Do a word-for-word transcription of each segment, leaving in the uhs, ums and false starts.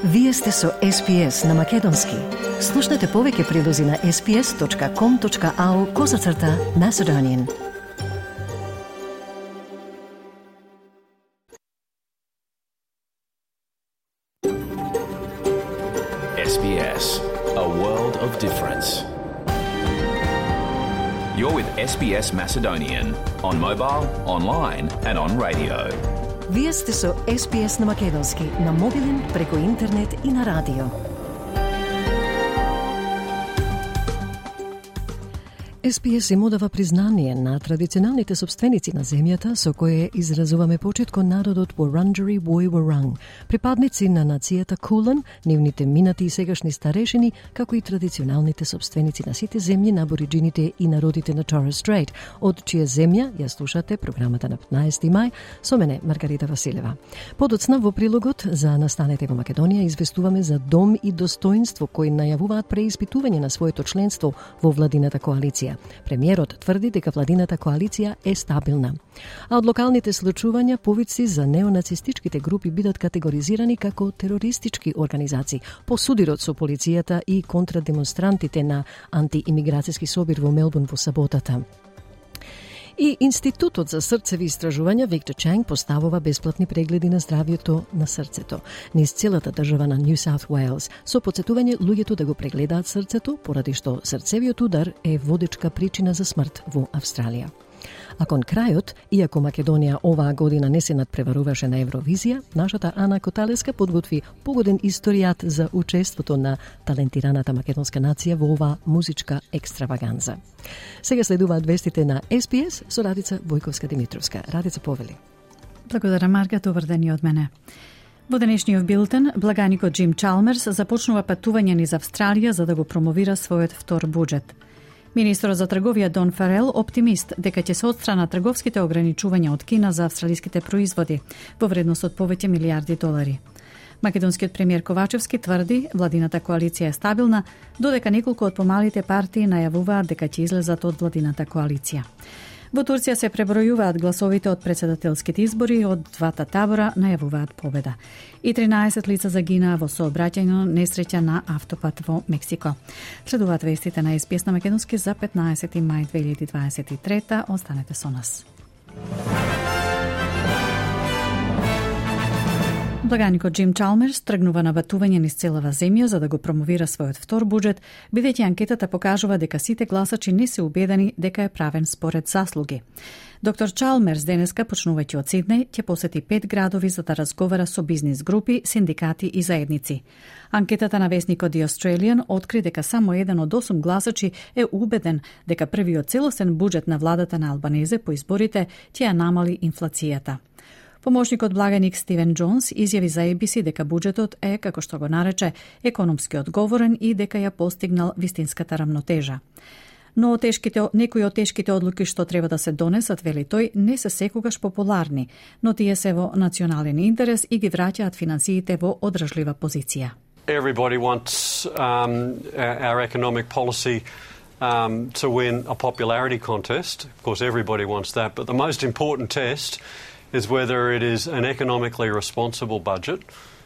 Вие сте со Ес Би Ес на Македонски. Слушнете повеќе прилози на ес би ес точка ком точка ау козацрта Macedonian. Ес Би Ес, a world of difference. You're with Ес Би Ес Macedonian on mobile, online and on radio. Вие сте со Ес Би Ес на Македонски, на мобилен, преку интернет и на радио. Ес Би Ес им одава признание на традиционалните собственици на земјата со кое изразуваме почит кон народот Wurundjeri Woi Wurrung, припадници на нацијата Кулан, нивните минати и сегашни старешини, како и традиционалните собственици на сите земји на абориджините и народите на Торres Strait, од чија земја ја слушате програмата на петнаесети мај со мене Маргарита Василева. Подоцна во прилогот за Настанете во Македонија известуваме за дом и достоинство кои најавуваат преиспитување на своето членство во владината коалиција. Премиерот тврди дека владината коалиција е стабилна. А од локалните случувања повици за неонацистичките групи бидат категоризирани како терористички организации по судирот со полицијата и контрадемонстрантите на антиимиграцијски собир во Мелбурн во саботата. И Институтот за срцеви истражувања Виктор Чанг поставува бесплатни прегледи на здравјето на срцето низ целата држава на Нью Саут Уејлс, со потсетување луѓето да го прегледаат срцето, поради што срцевиот удар е водечка причина за смрт во Австралија. А кон крајот, иако Македонија оваа година не се надпреваруваше на Евровизија, нашата Ана Коталеска подготви погоден историјат за учеството на талентираната македонска нација во оваа музичка екстраваганза. Сега следуваат вестите на Ес Би Ес со Радица Бојковска-Димитровска. Радица, повели. Благодаря, Марга, добар ден и од мене. Во денешниот билтен, благаникот Джим Чалмерс започнува патување низ Австралија за да го промовира својот втор буџет. Министерот за трговија Дон Фарел оптимист дека ќе се отстранат трговските ограничувања од Кина за австралиските производи во вредност од повеќе милијарди долари. Македонскиот премиер Ковачевски тврди владината коалиција е стабилна, додека неколку од помалите партии најавуваат дека ќе излезат од владината коалиција. Во Турција се пребројуваат гласовите од претседателските избори, од двата табора најавуваат победа. И тринаесет лица загинаа во сообраќајна несреќа на автопат во Мексико. Следуваат вестите на Ес Би Ес на Македонски за петнаесети мај две илјади дваесет и трета. Останете со нас. Благаникот Джим Чалмерс тргнува на батување низ целава земја за да го промовира својот втор буџет, бидејќи анкетата покажува дека сите гласачи не се убедени дека е правен според заслуги. Доктор Чалмерс денеска, почнувајќи од Сиднеј, ќе посети пет градови за да разговара со бизнис групи, синдикати и заедници. Анкетата на весникот The Australian откри дека само еден од осум гласачи е убеден дека првиот целосен буџет на владата на Албанезе по изборите ќе ја намали инфлацијата. Помошникот благаник Стивен Джонс изјави за Ей Би Си дека буџетот е, како што го нарече, економски одговорен и дека ја постигнал вистинската рамнотежа. Но тешките, некои од тешките одлуки што треба да се донесат, вели тој, не се секогаш популарни, но тие се во национален интерес и ги враќаат финансиите во одржлива позиција. Everybody wants um, our economic policy um, to win a popularity contest. Of course, everybody wants that, but the most important test is whether it is an economically responsible budget.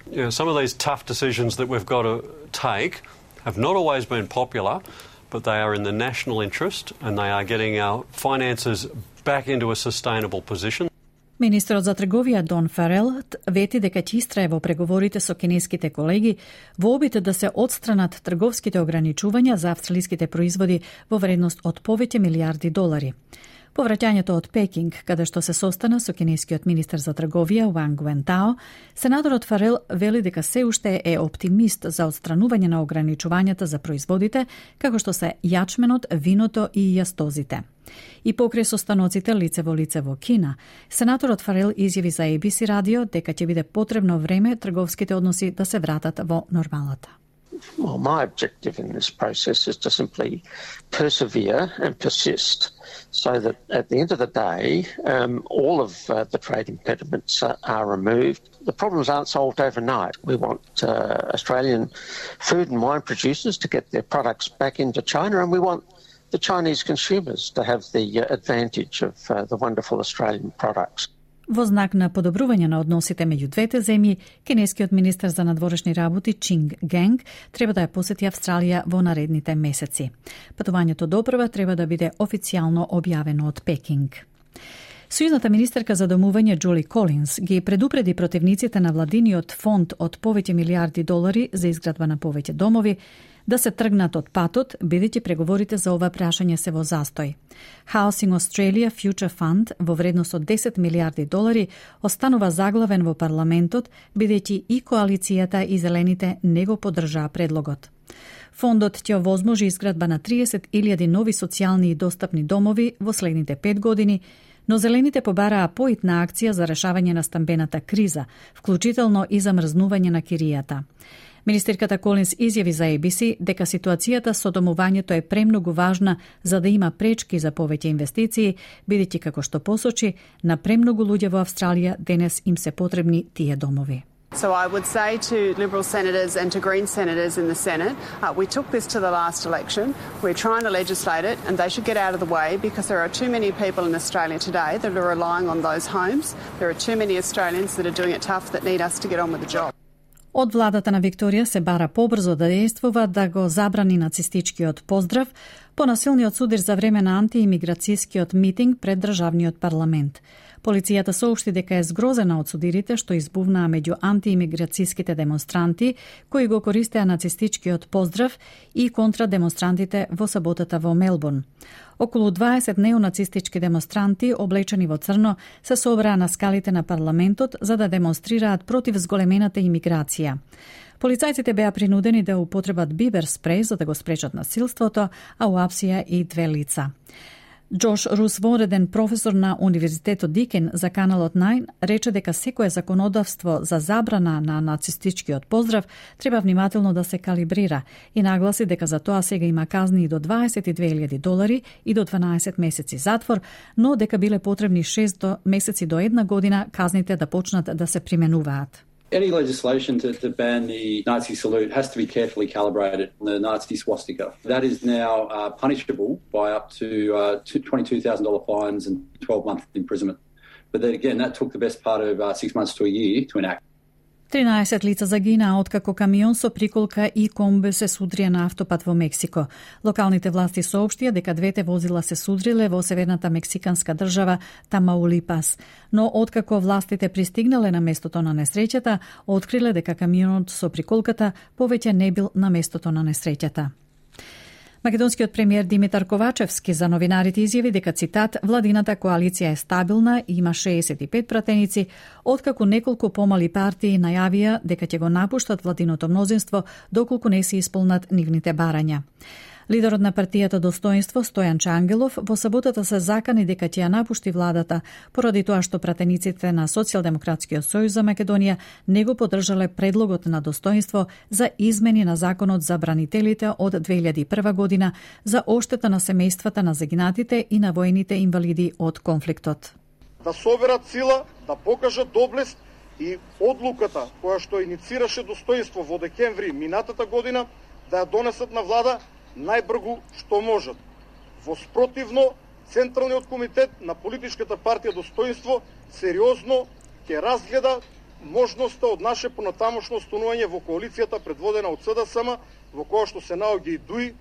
You know, some of these tough decisions that we've got to take have not always been popular, but they are in the national interest and they are getting our finances back into a sustainable position. Министерот за трговија Дон Фарел вети дека ќе истрае во преговорите со кинеските колеги во обид да се отстранат трговските ограничувања за австралиските производи во вредност од повеќе милијарди долари. По враќањето од Пекинг, каде што се состана со кинескиот министер за трговија Ванг Вентао, сенаторот Фарел вели дека се уште е оптимист за отстранување на ограничувањата за производите, како што се јачменот, виното и јастозите. И покрај состаноците лице во лице во Кина, сенаторот Фарел изјави за Ей Би Си радио дека ќе биде потребно време трговските односи да се вратат во нормалата. Well, my objective in this process is to simply persevere and persist so that at the end of the day, um, all of uh, the trade impediments are, are removed. The problems aren't solved overnight. We want uh, Australian food and wine producers to get their products back into China, and we want the Chinese consumers to have the uh, advantage of uh, the wonderful Australian products. Во знак на подобрување на односите меѓу двете земји, кинескиот министер за надворешни работи Чинг Генг треба да ја посети Австралија во наредните месеци. Патувањето допрва треба да биде официјално објавено од Пекинг. Сојузната министерка за домување Джули Колинс ги предупреди противниците на владиниот фонд од повеќе милиарди долари за изградба на повеќе домови да се тргнат од патот, бидејќи преговорите за ова прашање се во застој. Housing Australia Future Fund во вредност од десет милиарди долари останува заглавен во парламентот, бидејќи и коалицијата и зелените не го поддржаа предлогот. Фондот ќе овозможи изградба на триесет илјади нови социјални и достапни домови во следните пет години, но зелените побараа поитна акција за решавање на стамбената криза, вклучително и замрзнување на киријата. Министерката Колинс изјави за А Б С дека ситуацијата со домувањето е премногу важна за да има пречки за повеќе инвестиции, бидејќи како што посочи, на премногу луѓе во Австралија денес им се потребни тие домови. So I would say to Liberal senators and to Green senators in the Senate, uh, we took this to the last election. We're trying to legislate it and they should get out of the way because there are too many people in Australia today that are relying on those homes. There are too many Australians that are doing it tough that need us to get on with the job. Од владата на Викторија се бара побрзо да действува да го забрани нацистичкиот поздрав по насилниот судир за време на антиимиграцијскиот митинг пред државниот парламент. Полицијата соопшти дека е згрозена од судирите што избувнаа меѓу антиимиграцијските демонстранти кои го користеа нацистичкиот поздрав и контра демонстрантите во саботата во Мелбурн. Околу дваесет неонацистички демонстранти облечени во црно се собраа на скалите на парламентот за да демонстрираат против зголемената имиграција. Полицајците беа принудени да употребат бибер спреј за да го спречат насилството, а уапсија и две лица. Джош Рус, вонреден професор на Универзитетот Дикен за каналот најн, рече дека секое законодавство за забрана на нацистичкиот поздрав треба внимателно да се калибрира и нагласи дека за тоа сега има казни и до дваесет и две илјади долари и до дванаесет месеци затвор, но дека биле потребни шест месеци до една година казните да почнат да се применуваат. Any legislation to, to ban the Nazi salute has to be carefully calibrated on the Nazi swastika. That is now uh, punishable by up to uh, twenty-two thousand dollars fines and twelve months imprisonment. But then again, that took the best part of uh, six months to a year to enact. тринаесет лица загинаа откако камион со приколка и комбе се судрија на автопат во Мексико. Локалните власти соопштија дека двете возила се судриле во северната мексиканска држава Тамаулипас. Но откако властите пристигнале на местото на несреќата, откриле дека камионот со приколката повеќе не бил на местото на несреќата. Македонскиот премиер Димитар Ковачевски за новинарите изјави дека, цитат, владината коалиција е стабилна и има шеесет и пет пратеници, откако неколку помали партии најавија дека ќе го напуштат владиното мнозинство доколку не се исполнат нивните барања. Лидерот на партијата Достоинство Стојан Чангелов во саботата се закани дека ќе ја напушти владата поради тоа што пратениците на Социјалдемократскиот сојуз за Македонија не го поддржале предлогот на Достоинство за измени на законот за бранителите од две илјади и прва година за оштета на семејствата на загинатите и на војните инвалиди од конфликтот. Да соберат сила, да покажат доблест и одлуката која што иницираше Достоинство во декември минатата година да ја донесат на влада најбргу што можат. Во спротивно, Централниот комитет на политичката партија Достоинство сериозно ќе разгледа можноста од наше понатамошно останување во коалицијата предводена од С Д С М, во која што се наоѓа и ДУИ.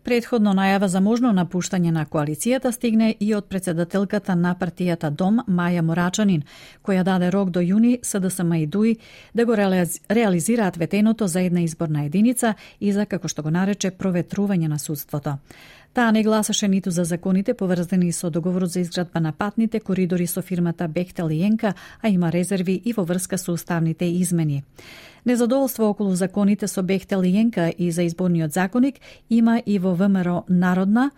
Предходно најава за можно напуштање на коалицијата стигне и од председателката на партијата Дом Маја Морачанин, која даде рок до јуни С Д С М и ДУИ да го реализираат ветеното за една изборна единица и за, како што го нарече, проветрување на судството. Таа не гласаше ниту за законите поврзани со договорот за изградба на патните коридори со фирмата Бехтел и Енка, а има резерви и во врска со уставните измени. Незадоволство околу законите со Бехтел и Енка и за изборниот законник има и во В М Р Народна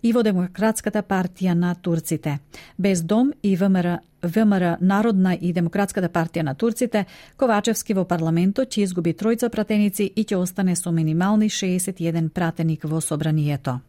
и во Демократската партија на турците. Без Дом и В М Р В М Р Народна и Демократската партија на турците, Ковачевски во парламентот ќе изгуби тројца пратеници и ќе остане со минимални шеесет и еден пратеник во собранието.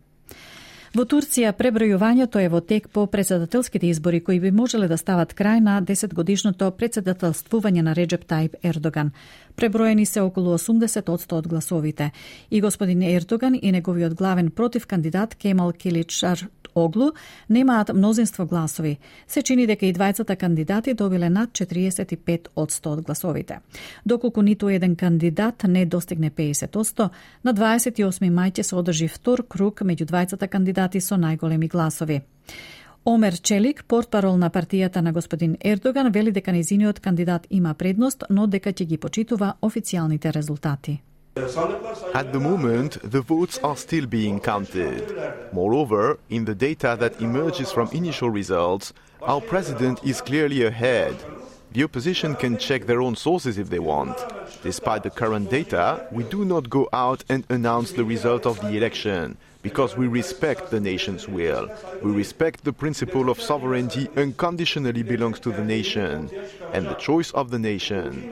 Во Турција пребројувањето е во тек по председателските избори кои би можеле да стават крај на десетгодишното председателствување на Реджеп Тајип Ердоган. Преброени се околу осумдесет одсто од гласовите и господин Ердоган и неговиот главен против кандидат Кемал Киличар Оглу немаат мнозинство гласови. Се чини дека и двајцата кандидати добиле над четириесет и пет одсто од гласовите. Доколку ниту еден кандидат не достигне педесет одсто, на дваесет и осми мај ќе се одржи втор круг меѓу двајцата кандидати со најголеми гласови. Омер Челик, портпарол на партијата на господин Ердоган, вели дека нејзиниот кандидат има предност, но дека ќе ги почитува официјалните резултати. At the moment, the votes are still being counted. Moreover, in the data that emerges from initial results, our president is clearly ahead. The opposition can check their own sources if they want. Despite the current data, we do not go out and announce the result of the election, because we respect the nation's will. We respect the principle of sovereignty unconditionally belongs to the nation, and the choice of the nation.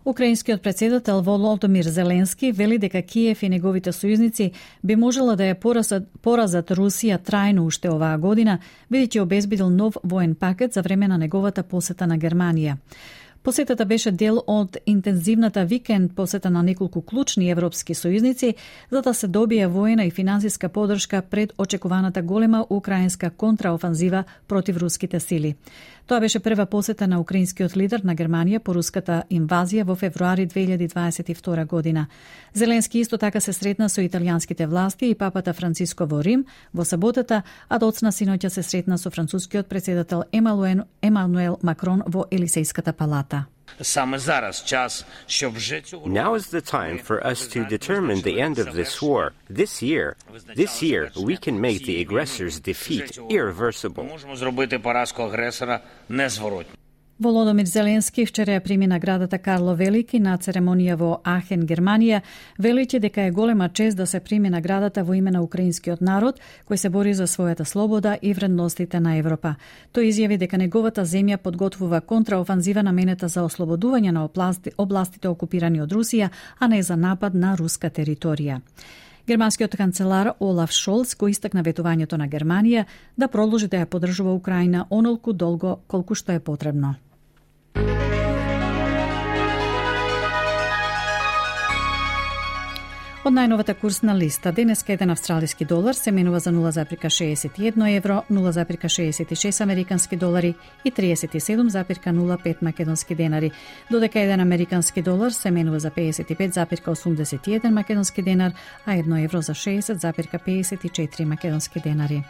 Украинскиот председател Володомир Зеленски вели дека Киев и неговите сојузници би можела да ја поразат, поразат Русија трајно уште оваа година, бидејќи обезбедил нов воен пакет за време на неговата посета на Германија. Посетата беше дел од интензивната викенд посета на неколку клучни европски сојузници за да се добие воена и финансиска подршка пред очекуваната голема украинска контраофанзива против руските сили. Тоа беше прва посета на украинскиот лидер на Германија по руската инвазија во февруари две илјади дваесет и втора година. Зеленски исто така се сретна со италијанските власти и папата Франциско во Рим во саботата, а доцна синоќа се сретна со францускиот председател Емануел Макрон во Елисејската палата. Now is the time for us to determine the end of this war. This year, this year we can make the aggressor's defeat irreversible. Володомир Зеленски вчера ја прими наградата Карло Велики на церемонија во Ахен, Германија, велејќи дека е голема чест да се прими наградата во име на украинскиот народ, кој се бори за својата слобода и вредностите на Европа. Тој изјави дека неговата земја подготвува контраофанзива наменета за ослободување на области, областите окупирани од Русија, а не за напад на руска територија. Германскиот канцелар Олаф Шолц го истакна ветувањето на Германија да продолжи да ја поддржува Украина онолку долго колку што е потребно. Од најновата курсна листа, денеска еден австралиски долар се менува за нула запирка шеесет и едно евро, нула запирка шеесет и шест американски долари и триесет и седум запирка нула пет македонски денари, додека еден американски долар се менува за пеесет и пет запирка осумдесет и еден македонски денар, а едно евро за шеесет запирка пеесет и четири македонски денари.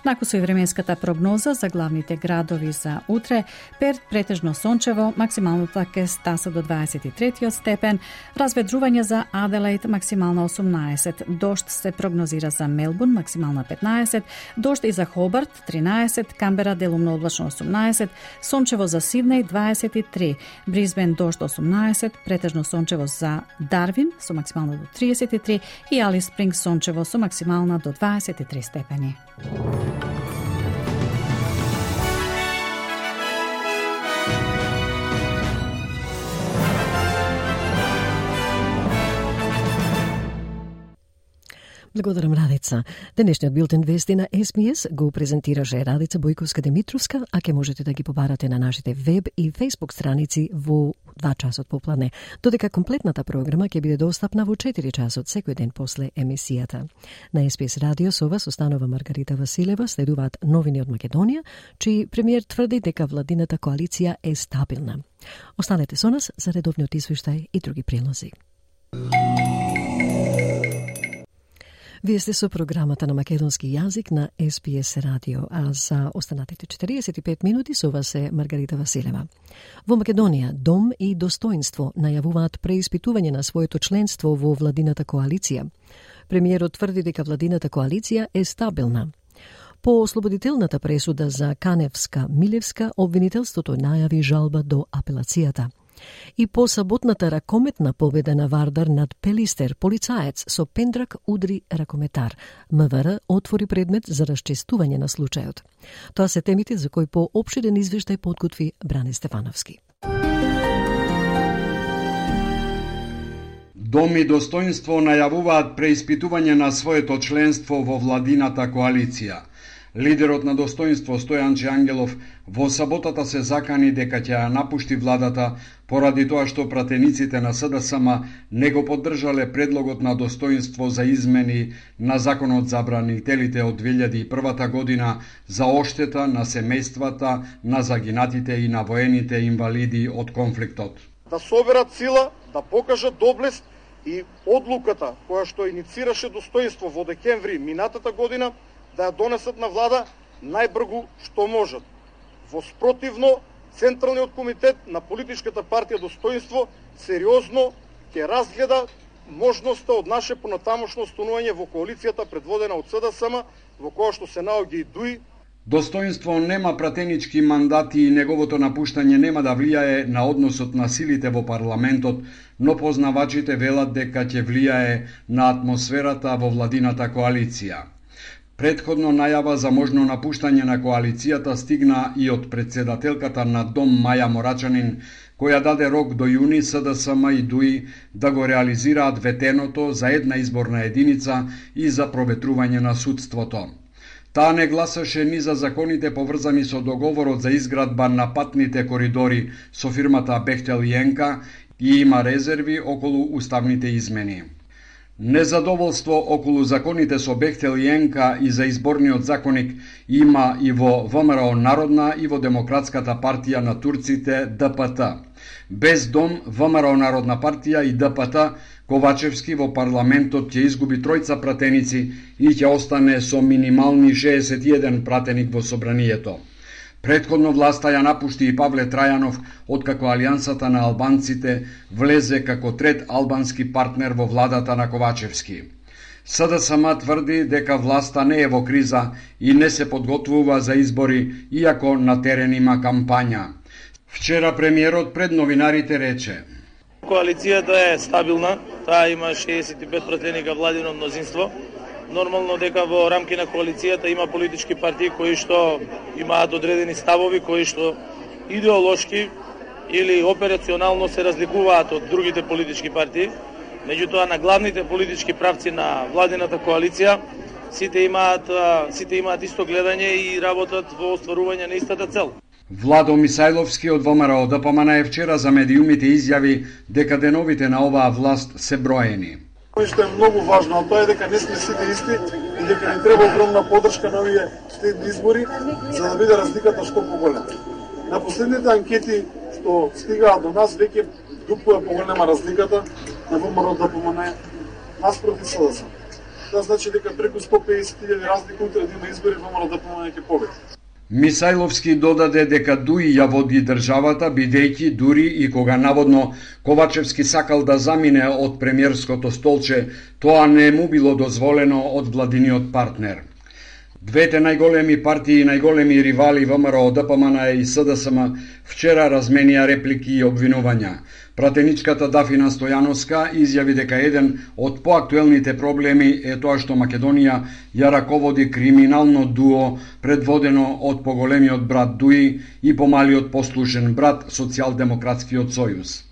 Накусо и временската прогноза за главните градови за утре: Перт претежно сончево, максималната ќе стаса до дваесет и трети степен, разведрување за Аделаид, максимална осумнаесет, дожд се прогнозира за Мелбурн, максимална петнаесет, дожд и за Хобарт тринаесет, Камбера делумно облачно осумнаесет, сончево за Сиднеј дваесет и три, Брисбен дожд осумнаесет, претежно сончево за Дарвин со максимална до триесет и три и Алис Спрингс сончево со максимална до дваесет и три степени. Благодарам, Радица. Денешниот билтен вести на Ес Би Ес го презентираше Радица Бојковска-Димитровска, а ке можете да ги побарате на нашите веб и фейсбук страници во два часот попладне, додека комплетната програма ќе биде достапна во четири часот секој ден после емисијата. На Ес Би Ес радио со вас останува Маргарита Василева, следуваат новини од Македонија, чиј премиер тврди дека владината коалиција е стабилна. Останете со нас за редовниот извештај и други прилози. Вие сте со програмата на македонски јазик на Ес Би Ес радио, а за останатите четириесет и пет минути со вас е Маргарита Василева. Во Македонија, Дом и Достоинство најавуваат преиспитување на своето членство во владината коалиција. Премиерот тврди дека владината коалиција е стабилна. По ослободителната пресуда за Каневска-Милевска, обвинителството најави жалба до апелацијата. И по саботната ракометна победа на Вардар над Пелистер, полицаец со пендрак удри ракометар. МВР отвори предмет за расчестување на случајот. Тоа се темите за кои по опширен извештај подготви Бране Стефановски. Дом и Достоинство најавуваат преиспитување на своето членство во владината коалиција. Лидерот на Достоинство Стојанче Ангелов во саботата се закани дека ќе ја напушти владата поради тоа што пратениците на СДСМ не го поддржале предлогот на Достоинство за измени на законот за бранителите од две илјади и прва година за оштета на семејствата на загинатите и на воените инвалиди од конфликтот. Да соберат сила, да покажат доблест и одлуката која што иницираше Достоинство во декември минатата година да ја донесат на влада најбргу што можат. Во спротивно, Централниот комитет на политичката партија Достоинство сериозно ќе разгледа можноста од наше понатамошно останување во коалицијата предводена од СДСМ, во која што се наоѓа и ДУИ. Достоинство нема пратенички мандати и неговото напуштање нема да влијае на односот на силите во парламентот, но познавачите велат дека ќе влијае на атмосферата во владината коалиција. Предходно најава за можно напуштање на коалицијата стигна и од председателката на Дом Маја Морачанин, која даде рок до јуни СДСМ и ДУИ да го реализираат ветеното за една изборна единица и за проветрување на судството. Таа не гласаше ни за законите поврзани со договорот за изградба на патните коридори со фирмата Бехтел и Енка и има резерви околу уставните измени. Незадоволство околу законите со Бехтел и Енка и за изборниот законник има и во ВМРО Народна и во Демократската партија на турците Д П Т. Без Дом, ВМРО Народна партија и Д П Т, Ковачевски во парламентот ќе изгуби тројца пратеници и ќе остане со минимални шеесет и еден пратеник во собранието. Предходно власта ја напушти и Павле Трајанов, откако Алијансата на албанците влезе како трет албански партнер во владата на Ковачевски. СДСМ тврди дека власта не е во криза и не се подготвува за избори, иако на терен има кампања. Вчера премиерот пред новинарите рече: Коалицијата е стабилна, таа има шеесет и пет пратеника владино мнозинство. Нормално дека во рамки на коалицијата има политички партии кои што имаат одредени ставови, кои што идеолошки или операционално се разликуваат од другите политички партии. Меѓутоа, на главните политички правци на владината коалиција сите имаат сите имаат исто гледање и работат во остварување на истата цел. Владо Мисајловски од ВМРО Д П М Н вчера за медиумите изјави дека деновите на оваа власт се броени. Кој што е многу важно, а тоа е дека не сме сите исти и дека ни треба огромна поддршка на овие следни избори за да биде разликата што поголема. На последните анкети што стигаат до нас веќе дупло е поголема разликата на ВМРО Д П М Н наспроти СДСМ. Тоа значи дека преку сто педесет илјади разлика утре да има избори ВМРО Д П М Н ќе победи. Мисајловски додаде дека ДУИ ја води државата, бидејќи дури и кога наводно Ковачевски сакал да замине од премиерското столче, тоа не му било дозволено од владиниот партнер. Двете најголеми партии и најголеми ривали ВМРО Д П М Н и СДСМ вчера разменија реплики и обвинувања. Пратеничката Дафина Стојановска изјави дека еден од поактуелните проблеми е тоа што Македонија ја раководи криминално дуо предводено од поголемиот брат ДУИ и помалиот послушен брат Социјалдемократскиот сојуз.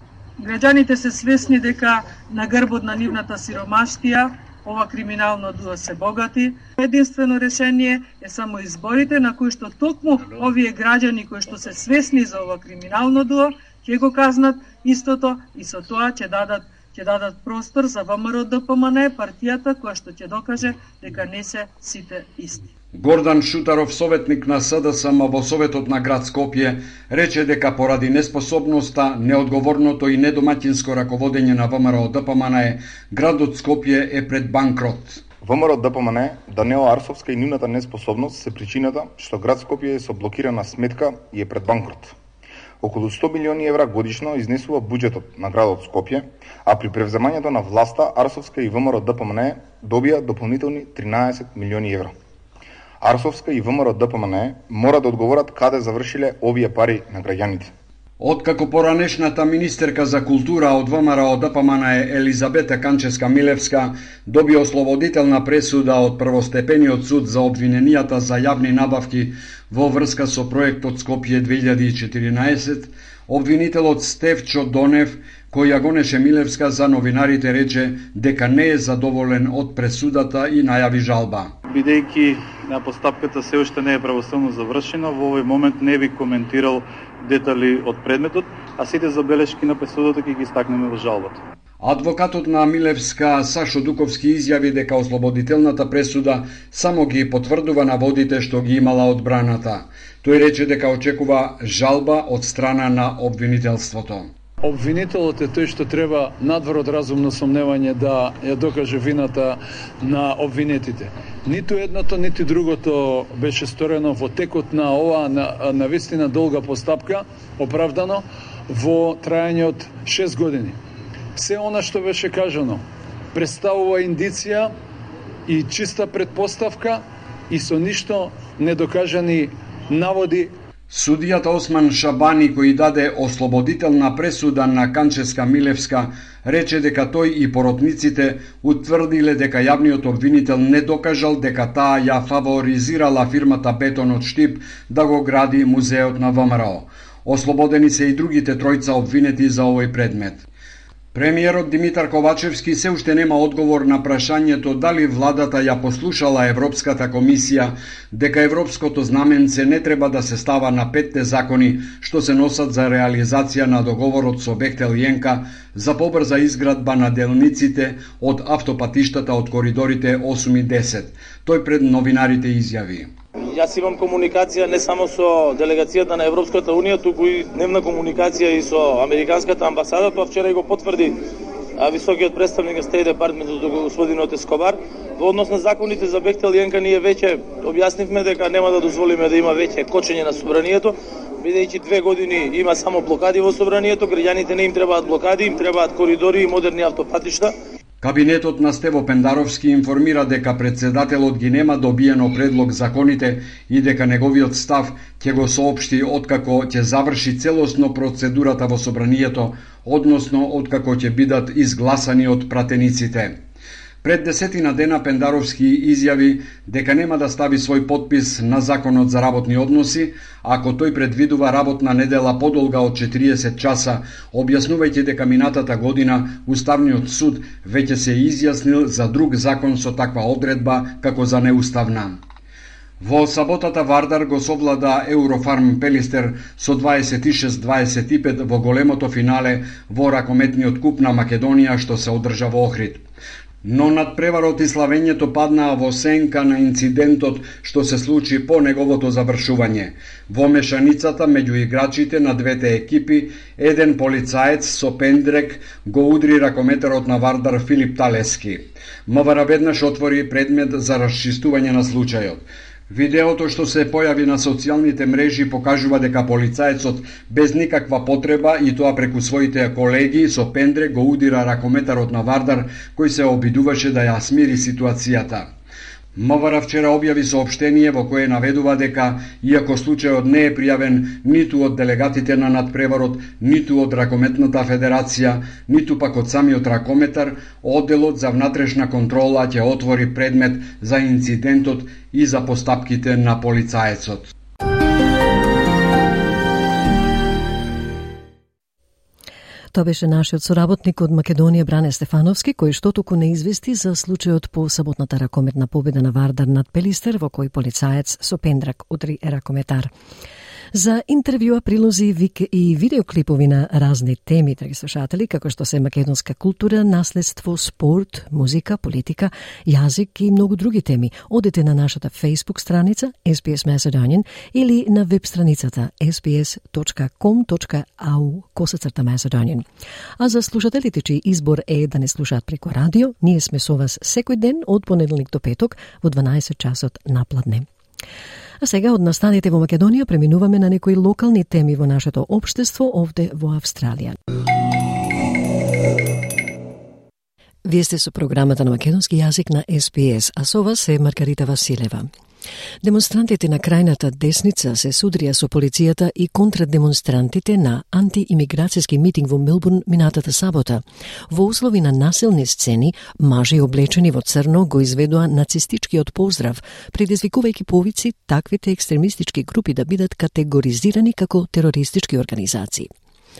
Граѓаните се свесни дека на грбот на нивната сиромаштија ова криминално дуо се богати. Единствено решение е само изборите на кои што токму овие граѓани кои што се свесни за ова криминално дуо ќе го казнат истото и со тоа ќе дадат ќе дадат простор за ВМРО Д П М Н, партијата која што ќе докаже дека не се сите исти. Гордан Шутаров, советник на СДСМ во Советот на град Скопје, рече дека поради неспособноста, неодговорното и недомаќинско раководење на ВМРО Д П М Н, градот Скопје е пред банкрот. ВМРО Д П М Н, Даниела Арсовска и нивната неспособност се причината што град Скопје е со блокирана сметка и е пред банкрот. Околу сто милиони евра годишно изнесува буџетот на градот Скопје, а при превземањето на власта Арсовска и ВМРО Д П М Н добија дополнителни тринаесет милиони евра. Арсовска и ВМРО Д П М Н мора да одговорат каде завршиле овие пари на граѓаните. Откако поранешната министерка за култура од ВМРО Д П М Н Елизабета Канчевска-Милевска доби ослободителна пресуда од првостепениот суд за обвиненијата за јавни набавки во врска со проектот Скопје две илјади и четиринаесет, Обвинителот Стефчо Донев, кој ја гонеше Милевска за новинарите, рече дека не е задоволен од пресудата и најави жалба. Бидејќи на постапката се уште не е правосудно завршена, во овој момент не би коментирал детали од предметот, а сите забелешки на пресудата ќе ги истакнеме во жалбата. Адвокатот на Милевска Сашо Дуковски изјави дека ослободителната пресуда само ги потврдува наводите што ги имала одбраната. Тој рече дека очекува жалба од страна на обвинителството. Обвинителот е тој што треба надвор од разумно сомневање да ја докаже вината на обвинетите. Ниту едното, ниту другото беше сторено во текот на ова на, на вистина долга постапка, оправдано во трајање од шест години. Се она што беше кажано представува индиција и чиста предпоставка и со ништо недокажани наводи. Судијата Осман Шабани, кој даде ослободителна пресуда на Канческа Милевска, рече дека тој и поротниците утврдиле дека јавниот обвинител не докажал дека таа ја фаворизирала фирмата Бетон од Штип да го гради музеот на ВМРО. Ослободени се и другите тројца обвинети за овој предмет. Премиерот Димитар Ковачевски се уште нема одговор на прашањето дали владата ја послушала Европската комисија дека европското знаменце не треба да се става на петте закони што се носат за реализација на договорот со Бехтел Јенка за побрза изградба на делниците од автопатиштата од коридорите осум и десет. Тој пред новинарите изјави: Јас имам комуникација не само со делегацијата на Европската Унија, туку и дневна комуникација и со Американската амбасада, тоа вчера и го потврди високиот представник на State Department господинот Ескобар. Во однос на законите за Бехтел Јенка ние веќе објаснивме дека нема да дозволиме да има веќе кочење на собранието, бидејќи две години има само блокади во собранието, граѓаните не им требаат блокади, им требаат коридори и модерни автопатишта. Кабинетот на Стево Пендаровски информира дека председателот ги нема добиено предлог законите и дека неговиот став ќе го соопшти откако ќе заврши целосно процедурата во собранието, односно откако ќе бидат изгласани од пратениците. Пред десетина дена Пендаровски изјави дека нема да стави свој подпис на законот за работни односи, ако тој предвидува работна недела подолга од четириесет часа, објаснувајќи дека минатата година Уставниот суд веќе се изјаснил за друг закон со таква одредба како за неуставна. Во саботата Вардар го совлада Eurofarm Пелистер со дваесет и шест дваесет и пет во големото финале во ракометниот куп на Македонија што се одржа во Охрид. Но надпреварот и славењето паднаа во сенка на инцидентот што се случи по неговото завршување. Во мешаницата меѓу играчите на двете екипи, еден полицаец со пендрек го удри ракометарот на Вардар Филип Талески. МВР веднаш отвори предмет за расчистување на случајот. Видеото што се појави на социјалните мрежи покажува дека полицаецот без никаква потреба и тоа преку своите колеги со пендре го удира ракометарот на Вардар кој се обидуваше да ја смири ситуацијата. МВР вчера објави соопштение во кое наведува дека, иако случајот не е пријавен ниту од делегатите на надпреварот, ниту од Ракометната федерација, ниту пак од самиот ракометар, одделот за внатрешна контрола ќе отвори предмет за инцидентот и за постапките на полицаецот. Тоа беше нашиот соработник од Македонија Бране Стефановски, кој што току не извести за случајот по саботната ракометна победа на Вардар над Пелистер, во кој полицаец со пендрак удри ракометар. За интервјуа, прилози и видеоклипови на разни теми, драги слушатели, како што се македонска култура, наследство, спорт, музика, политика, јазик и многу други теми, одете на нашата Facebook страница ес би ес Macedonian или на веб страницата ес би ес точка ком точка ей ю косацрта Macedonian. А за слушателите чиј избор е да не слушаат преку радио, ние сме со вас секој ден од понеделник до петок во дванаесет часот напладне. А сега од настаните во Македонија преминуваме на некои локални теми во нашето општество овде во Австралија. Вие сте со програмата на македонски јазик на ес би ес, а со вас е Маргарита Василева. Демонстрантите на крајната десница се судрија со полицијата и контрадемонстрантите на антиимиграцијски митинг во Мелбурн минатата сабота. Во услови на насилни сцени, мажи облечени во црно го изведоа нацистичкиот поздрав, предизвикувајќи повици таквите екстремистички групи да бидат категоризирани како терористички организации.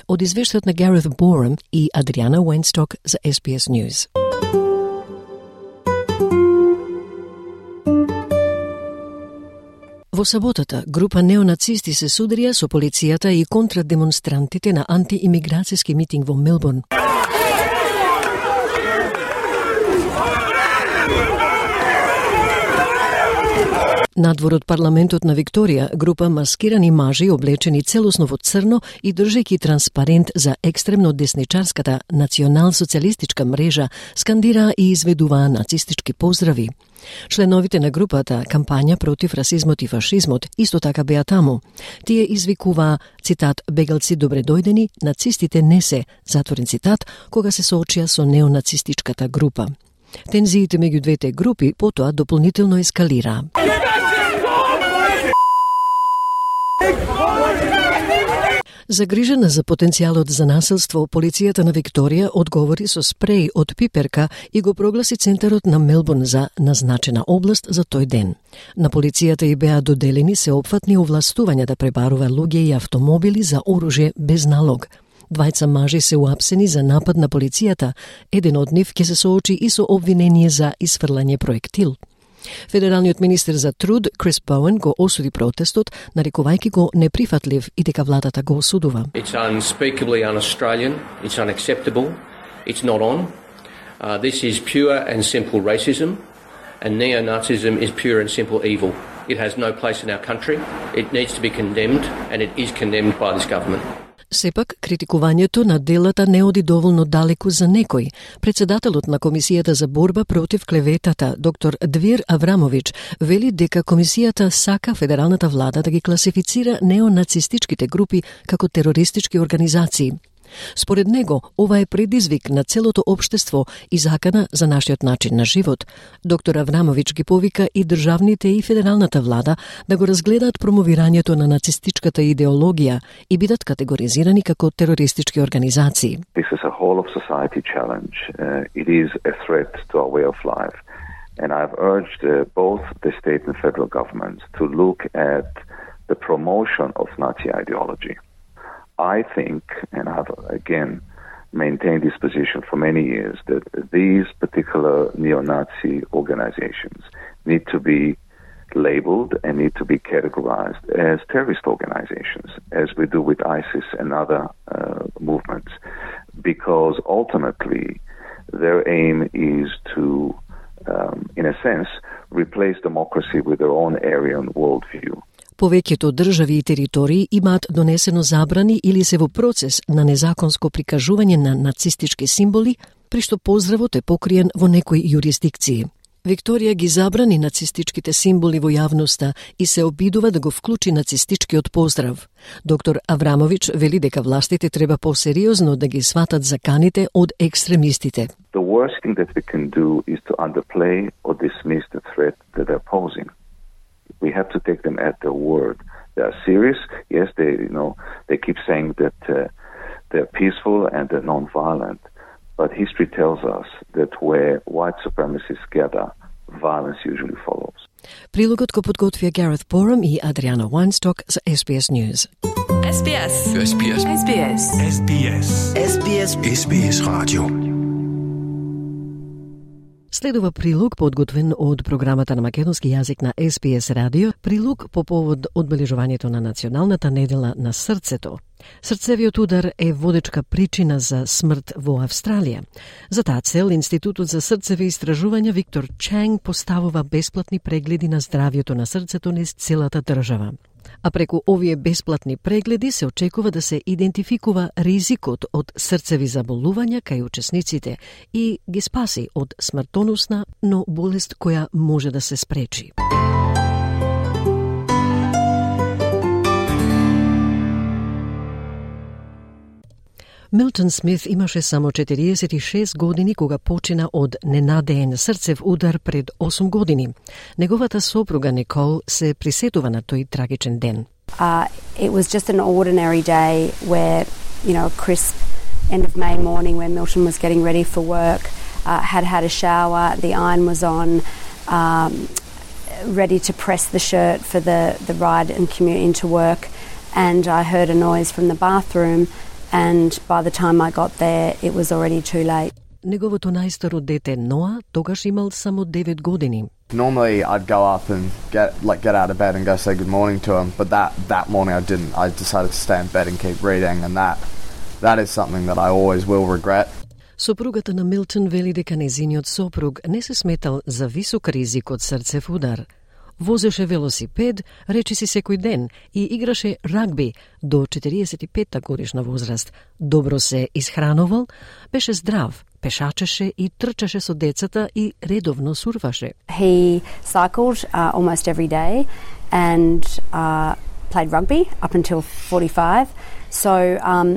Од извештајот на Gareth Borum и Adriana Weinstock за S B S News. Во саботата, група неонацисти се сударија со полицијата и контра демонстрантите на антиимиграцијски митинг во Мелбурн. Надвор од парламентот на Викторија, група маскирани мажи облечени целосно во црно и држејќи транспарент за екстремно десничарската национал-социјалистичка мрежа скандираа и изведуваа нацистички поздрави. Членовите на групата кампања против расизмот и фашизмот исто така беа таму. Тие извикуваа, цитат, бегалци добре дојдени, нацистите не се, затворен цитат, кога се соочија со неонацистичката група. Тензиите меѓу двете групи потоа дополнително ескалираа. Загрижена за потенцијалот за насилство, полицијата на Викторија одговори со спреј од пиперка и го прогласи центарот на Мелбурн за назначена област за тој ден. На полицијата и беа доделени сеопфатни овластувања да пребарува луѓе и автомобили за оружје без налог. Двајца мажи се уапсени за напад на полицијата, еден од нив ќе се соочи и со обвинение за исфрлање проектил. Федералниот министер за труд Крис Боуен го осуди протестот, нарекувајќи го неприфатлив и дека владата го осудува. It's unspeakably un-Australian, it's unacceptable, it's not on. Uh, this is pure and simple racism, and neo-Nazism is pure and simple evil. It has no place in our country, it needs to be condemned, and it is condemned by this government. Сепак, критикувањето на делата не оди доволно далеку за некој. Председателот на Комисијата за борба против клеветата, доктор Двир Аврамович, вели дека Комисијата сака федералната влада да ги класифицира неонацистичките групи како терористички организации. Според него, ова е предизвик на целото општество и закана за нашиот начин на живот. Доктор Аврамович ги повика и државните и федералната влада да го разгледаат промовирањето на нацистичката идеологија и бидат категоризирани како терористички организации. This is a whole of society challenge. Uh, it is a threat to our way of life. And I've urged uh, both the state and federal governments to look at the promotion of Nazi ideology. I think, and I've again maintained this position for many years, that these particular neo-Nazi organizations need to be labeled and need to be categorized as terrorist organizations, as we do with ISIS and other uh, movements, because ultimately their aim is to, um, in a sense, replace democracy with their own Aryan worldview. Повеќето држави и територии имаат донесено забрани или се во процес на незаконско прикажување на нацистички символи, при што поздравот е покриен во некои јурисдикции. Викторија ги забрани нацистичките символи во јавноста и се обидува да го вклучи нацистичкиот поздрав. Доктор Аврамович вели дека властите треба посериозно да ги сватат заканите од екстремистите. The worst thing that we can do is to underplay or dismiss the threat that they're posing. We have to take them at their word. They are serious. Yes, they, you know, they keep saying that uh, they're peaceful and they're non-violent. But history tells us that where white supremacists gather, violence usually follows. Прилогот го подготвија Gareth Borum и Adriana Weinstock за S B S News. S B S. S B S. S B S. S B S. S B S. S B S Radio. Следува прилог подготвен од програмата на македонски јазик на S B S радио, прилог по повод одбележувањето на Националната недела на срцето. Срцевиот удар е водечка причина за смрт во Австралија. За таа цел, Институтот за срцеви истражувања Виктор Чанг поставува бесплатни прегледи на здравјето на срцето низ целата држава. А преку овие бесплатни прегледи се очекува да се идентификува ризикот од срцеви заболувања кај учесниците и ги спаси од смртоносна, но болест која може да се спречи. Милтон Смит имаше само четириесет и шест години кога почина од ненадеен срцев удар пред осум години. Неговата сопруга Никол се присетува на тој трагичен ден. Uh, it was just an ordinary day where, you know, a crisp end of May morning when Milton was getting ready for work, uh, had had a shower, the iron was on, um, ready to press the shirt for the, the ride and commute into work, and I heard a noise from the bathroom. and by the time I got there, it was already too late. Неговото најстаро дете Ноа тогаш имал само девет години. Normally I'd go up and get like get out of bed and go say good morning to him, but that that morning I didn't. I decided to stay in bed and keep reading, and that that is something that I always will regret. Сопругата на Милтон вели дека незиниот сопруг не се сметал за висок ризик од срцев удар. Возеше велосипед, речиси секој ден, и играше рагби до четириесет и петта годишна возраст. Добро се исхранувал, беше здрав, пешачеше и трчаше со децата и редовно сурфаше. He cycled uh, almost every day and uh, played rugby up until forty-five. So um,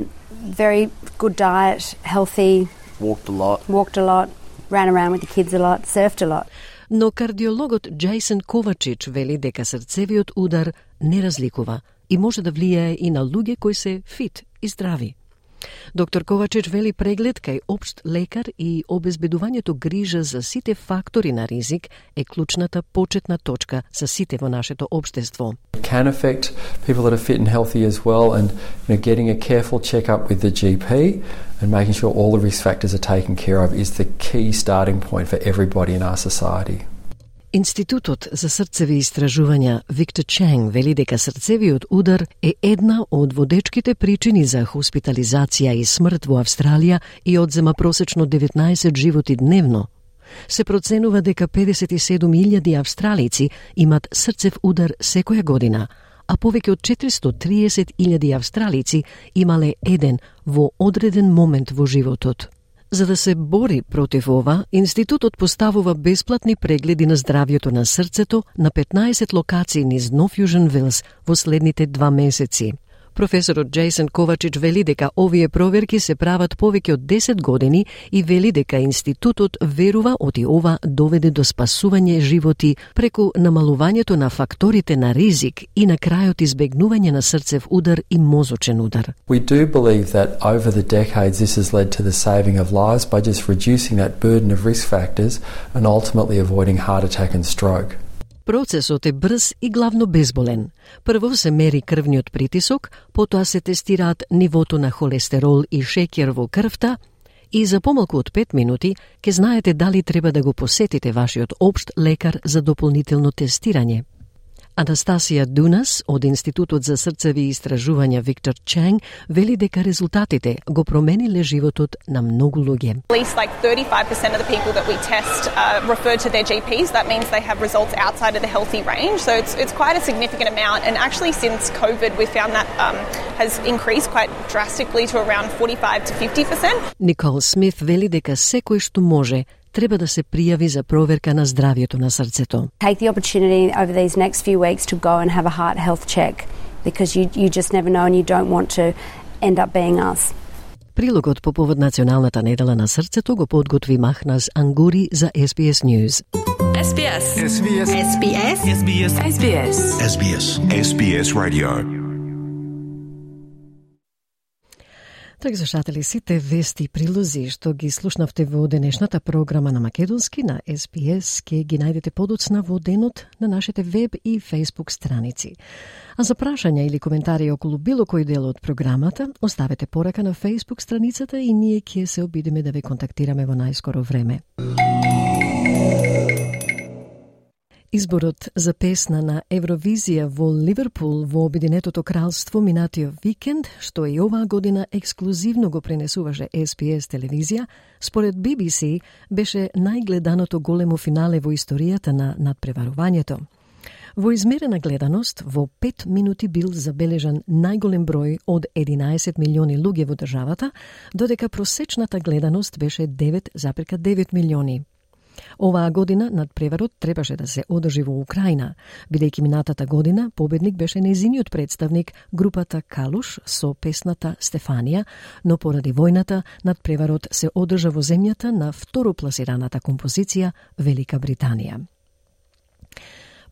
very good diet, healthy. Walked a lot. Walked a lot, ran around with the kids a lot, surfed a lot. Но кардиологот Джейсон Ковачич вели дека срцевиот удар не разликува и може да влијае и на луѓе кои се фит и здрави. Доктор Ковачич вели преглед кај општ лекар и обезбедувањето грижа за сите фактори на ризик е клучната почетна точка за сите во нашето општество. It can affect people that are fit and healthy as well, and you know, getting a careful check-up with the G P and making sure all the risk factors are taken care of is the key starting point for everybody in our society. Институтот за срцеви истражувања Виктор Ченг вели дека срцевиот удар е една од водечките причини за хоспитализација и смрт во Австралија и одзема просечно деветнаесет животи дневно. Се проценува дека педесет и седум илјади австралици имат срцев удар секоја година, а повеќе од четиристотини и триесет илјади австралици имале еден во одреден момент во животот. За да се бори против ова, институтот поставува бесплатни прегледи на здравјето на срцето на петнаесет локации низ Нов Јужен Велс во следните два месеци. Професорот Джейсон Ковачич вели дека овие проверки се прават повеќе од десет години и вели дека институтот верува оти ова доведе до спасување животи преку намалувањето на факторите на ризик и на крајот избегнување на срцев удар и мозочен удар. We do believe that over the decades this has led to the saving of lives by just reducing that burden of risk factors and ultimately avoiding heart attack and stroke. Процесот е брз и главно безболен. Прво се мери крвниот притисок, потоа се тестираат нивото на холестерол и шеќер во крвта и за помалку од пет минути ќе знаете дали треба да го посетите вашиот општ лекар за дополнително тестирање. Анастасија Дунас од Институтот за срцеви истражувања Виктор Ченг вели дека резултатите го промениле животот на многу луѓе. At least like thirty-five percent of the people that we test uh, refer to their G Ps. That means they have results outside of the healthy range. So it's it's quite a significant amount. And actually since COVID we found that um, has increased quite drastically to around forty-five to fifty percent. Никол Смит вели дека секој што може треба да се пријави за проверка на здравјето на срцето. Take the opportunity over these next few weeks to go and have a heart health check because you you just never know and you don't want to end up being us. Прилогот по повод Националната недела на срцето го подготви Махназ Ангури за С Б С News. S B S. S B S. S B S. S B S. S B S. S B S. S B S Radio. Драги слушатели, сите вести и прилози што ги слушнавте во денешната програма на македонски на С Б С ке ги најдете подоцна во денот на нашите веб и фејсбук страници. А за прашања или коментари околу било кој дел од програмата, оставете порака на фејсбук страницата и ние ќе се обидеме да ве контактираме во најскоро време. Изборот за песна на Евровизија во Ливерпул во Обединетото кралство минатиот викенд, што и оваа година ексклузивно го пренесуваше С Б С телевизија, според Би Би Си беше најгледаното големо финале во историјата на надпреварувањето. Во измерена гледаност, во пет минути бил забележан најголем број од единаесет милиони луѓе во државата, додека просечната гледаност беше девет зарез девет милиони. Оваа година надпреварот требаше да се одржи во Украина, бидејќи минатата година победник беше нејзиниот представник групата Калуш со песната Стефанија, но поради војната надпреварот се одржа во земјата на второпласираната композиција Велика Британија.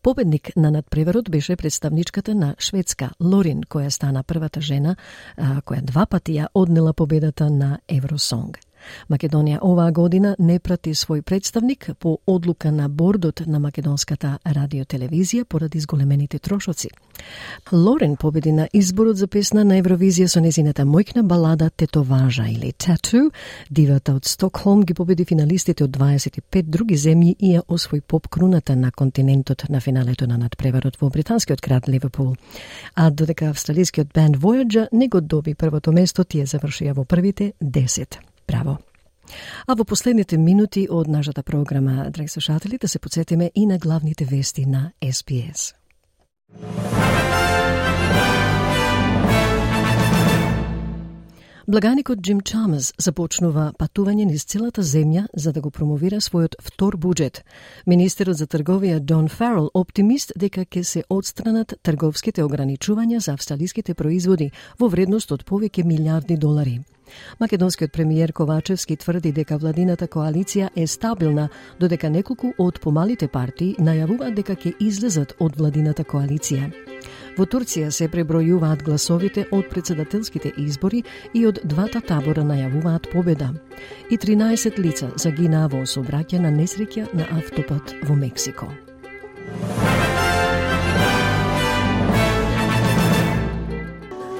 Победник на надпреварот беше представничката на Шведска, Лорин, која стана првата жена, која два пати ја однела победата на Евросонг. Македонија оваа година не прати свој представник по одлука на бордот на македонската радиотелевизија поради зголемените трошоци. Лорен победи на изборот за песна на Евровизија со незината мојкна балада Тетоважа или Tattoo. Дивата од Стокхолм ги победи финалистите од дваесет и пет други земји и ја освои поп круната на континентот на финалето на надпреварот во британскиот град Ливерпул. А додека австралискиот бенд Voyager не го доби првото место, тие завршија во првите десет. Браво! А во последните минути од нашата програма, драги слушатели, да се подсетиме и на главните вести на Ес Би Ес. Благаникот Джим Чалмерс започнува патување низ целата земја за да го промовира својот втор буџет. Министерот за трговија Дон Фарел оптимист дека ќе се отстранат трговските ограничувања за австралиските производи во вредност од повеќе милиарди долари. Македонскиот премиер Ковачевски тврди дека владината коалиција е стабилна, додека неколку од помалите партии најавуваат дека ќе излезат од владината коалиција. Во Турција се пребројуваат гласовите од председателските избори и од двата табора најавуваат победа. И тринаесет лица загинаа во сообраќај на несреќа на автопат во Мексико.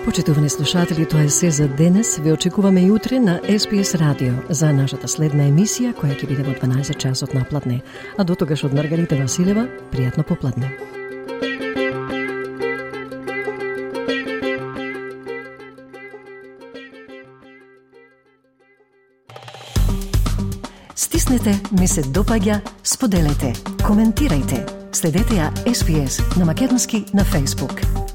Почитувани слушатели, тоа е се за денес. Ве очекуваме и утре на Ес Би Ес Радио за нашата следна емисија, која ќе биде во дванаесет часот напладне. А до тогаш од Маргарита Василева, пријатно попладне. Стиснете, ми се допаѓа, споделете, коментирајте. Следете ја Ес Би Ес на македонски на Facebook.